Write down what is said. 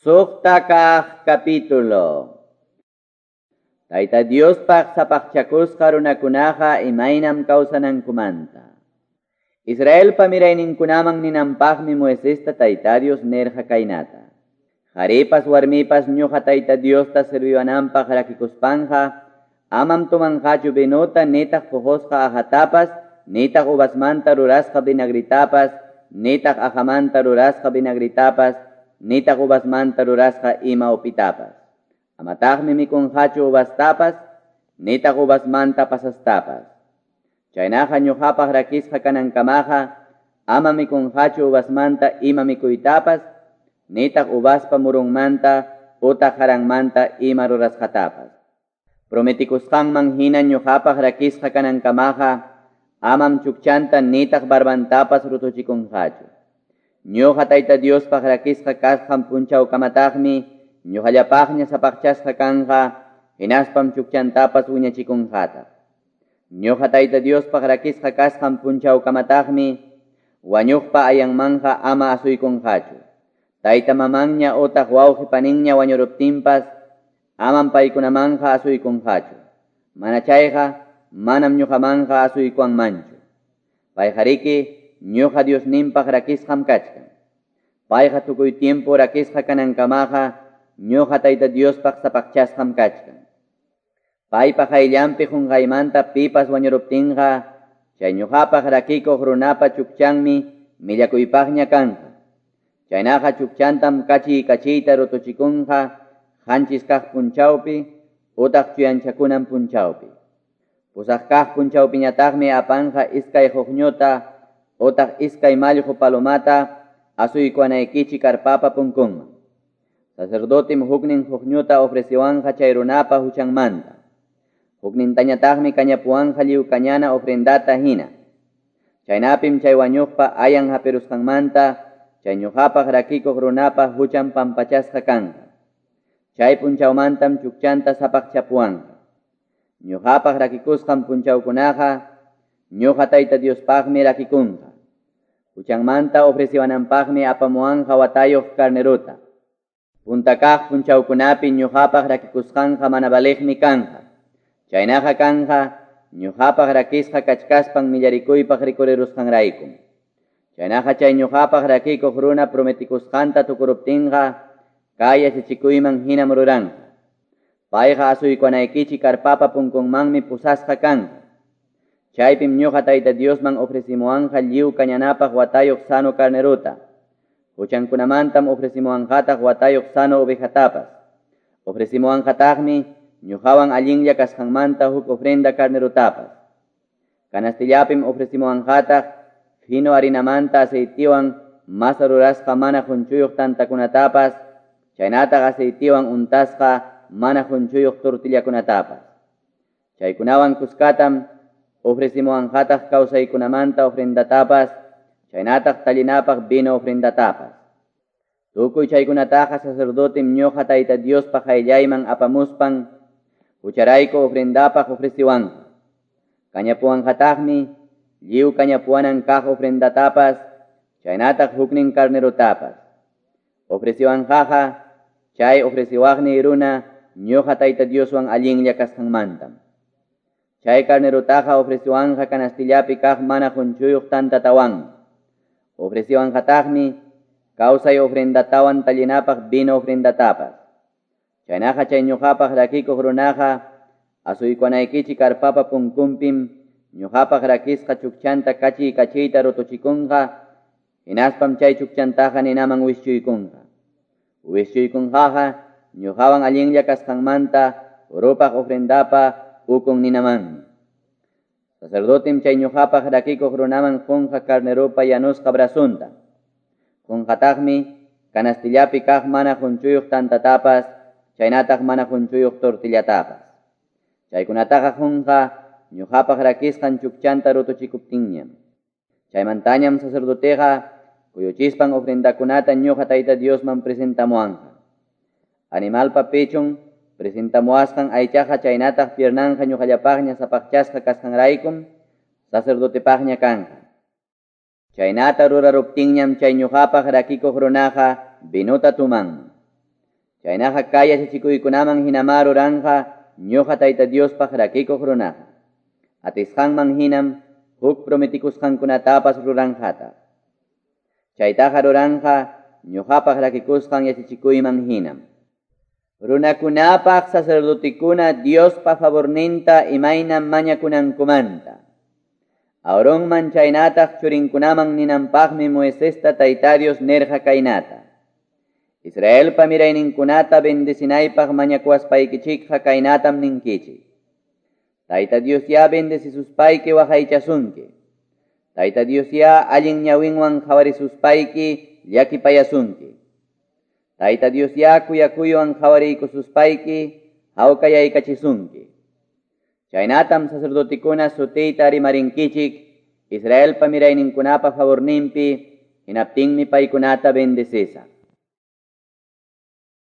Suqta kaq capítulo. Tayta Diospaq sapaqchakusqa runakunaqa imaynam kawsanankumanta. Israelpa mirayninkunaman ninanpaqmi Moisesta Tayta Dios nirqa kaynata. Qharipas warmipas ñuqa Tayta Diosta serviwananpaq rakikuspanqa, amam tumanqachu vinota nitaq puqusqa aqhatapas, nitaq uvasmanta rurasqa vinagritapas, nitaq aqhamanta rurasqa vinagritapas, nitaq uvasmanta rurasqa ima upitapas. Amataqmi mikunqachu uvastapas, nitaq uvasmanta pasastapas. Chaynaqa ñuqapaq rakisqa kanankamaqa, ama mikunqachu uvasmanta ima mikuytapas, nitaq uvaspa murunmanta utaq haranmanta ima rurasqatapas. Prometikusqanman hina ñuqapaq rakisqa kanankamaqa, amam chukchanta nitaq barbantapas rutuchikunqachu. Ñuqa Tayta Diospaq rakisqa kasqan punchawkamataqmi ñuqallapaqña sapaqchasqa kanqa, hinaspam chukchantapas wiñachikunqataq. Ñuqa Tayta Diospaq rakisqa kasqan punchawkamataqmi wañuqpa ayanmanqa ama asuykunqachu. Tayta mamanña utaq wawqi paninña wañuruptinpas amam paykunamanqa asuykunqachu. Mana chayqa manam ñuqamanqa asuykuwanmanchu. Payqariki ñuqa Diosninpaq rakisqam kachkan. Payqa tukuy tiempo rakisqa kanankamaqa ñuqa Tayta Diospaq sapaqchasqam kachkan. Paypa qayllanpi qunqaymanta pipas wañuruptinqa, chay ñuqapaq rakikuq runapa chukchanmi millakuypaqña kanqa. Chaynaqa chukchantam kachiy kachiyta rutuchikunqa qanchis kaq punchawpi utaq chuyanchakunan punchawpi. Pusaq kaq punchawpiñataqmi apanqa iskay huqñuta utaq iskay mallqu palomata asuykuwanaykichik karpapa punkunman. Sacerdotem huknin huqñuta ofreciwanqa chay runapa huchanmanta. Huknintañataqmi kañapuwanqa lliw kañana ofrendata hina. Chaynapim chay wañuqpa ayan hapirusqanmanta chay ñuqapaq rakikuq runapa huchan pampachasqa kanqa. Chay punchawmantam chukchanta sapaqchapuwanqa. Ñuqapaq rakikusqan punchawkunaqa ñuqa Tayta Diospaqmi rakikunqa. Huchanmanta ofreciwananpaqmi apamuwanqa watayuq carnerota. Punta kaq punchawkunapi ñuqapaq rakikusqanqa mana valiqmi kanqa. Chaynaqa kanqa ñuqapaq rakisqa kachkaspan millarikuypaq rikurirusqanraykum. Chaynaqa chay ñuqapaq rakikuq runa prometikusqanta tukuruptinqa, kay yachachikuyman hinam ruranqa. Payqa asuykuwanaykichik karpapa punkunmanmi pusasqa kanqa. Chaypim ñuqa Tayta Diosman ofrecimuwanqa lliw kañanapaq watayuq sano carnerota. Huchankunamantam ofrecimuwanqataq watayuq sano ovejatapas. Ofrecimuwanqataqmi ñuqawan allinlla kasqanmanta huk ofrenda carnerotapas. Canastillapim ofrecimuwanqataq fino harinamanta aceitiwan masa rurasqa mana qunchuyuq tantakunatapas, chaynataq aceitiwan untasqa mana qunchuyuq tortillakunatapas. Chaykunawan kuskatam ofrecimuwanqataq kawsaykunamanta ofrendatapas, chaynataq tallinapaq vino ofrendatapas. Tukuy chaykunataqa sacerdotem ñuqa Tayta Diospaq qayllayman apamuspan hucharayku ofrendapaq ofreciwanqa. Kañapuwanqataqmi lliw kañapuwanan kaq ofrendatapas, chaynataq huknin carnerotapas. Ofreciwanqaqa chay ofreciwaqniy runa ñuqa Tayta Dioswan allinlla kasqanmantam. Chay carnerotaqa ofreciwanqa canastillapi kaq mana qunchuyuq tantatawanmi. Ofreciwanqataqmi kawsay ofrendatawan tallinapaq vino ofrendatapas. Chaynaqa chay ñuqapaq rakikuq runaqa asuykuwanaykichik karpapa punkunpim ñuqapaq rakisqa chukchanta kachiy kachiyta rutuchikunqa, hinaspam chay chukchantaqa ninaman wischuykunqa. Wischuykunqaqa ñuqawan allinlla kasqanmanta rupaq ofrendapa ukun ninamanmi. Sacerdotem chay ñuqapaq rakikuq runaman qunqa carneropa yanusqa brazunta. Qunqataqmi canastillapi kaq mana qunchuyuq tantatapas, chaynataq mana qunchuyuq tortillatapas. Chaykunataqa qunqa ñuqapaq rakisqan chukchanta rutuchikuptinñam. Chaymantañam sacerdoteqa kuyuchispan ofrendakunata ñuqa Tayta Diosman presentamuwanqa. Animalpa pechun presentamuwasqan aychaqa chaynataq piernanqa ñuqallapaqña sapaqchasqa kasqanraykum sacerdotepaqña kanqa. Chaynata ruraruptinñam chay ñuqapaq rakikuq runaqa vinota tumanman. Chaynaqa kay yachachikuykunaman hinamá ruranqa ñuqa Tayta Diospaq rakikuq runaqa. Atisqanman hinam huk prometikusqankunatapas ruranqataq. Chaytaqa ruranqa ñuqapaq rakikusqan yachachikuyman hinam. Runakunapaq sacerdotekuna Diospa favorninta imaynam mañakunankumanta. Aaronman chaynataq churinkunaman ninanpaqmi Moisesta Tayta Dios nirqa kaynata. Israelpa mirayninkunata bendecinaypaq mañakuwaspaykichikqa kaynatam ninkichik. Tayta Diosyá bendecisuspayki waqaychasunki. Tayta Diosyá allin ñawinwan qawarisuspayki llakipayasunki. Tayta Diosyá kuyakuywan qawariykususpayki hawkayaykachisunki. Chaynatam sacerdotekuna sutiyta rimarinkichik Israelpa mirayninkunapa favorninpi hinaptinmi paykunata bendecisaq.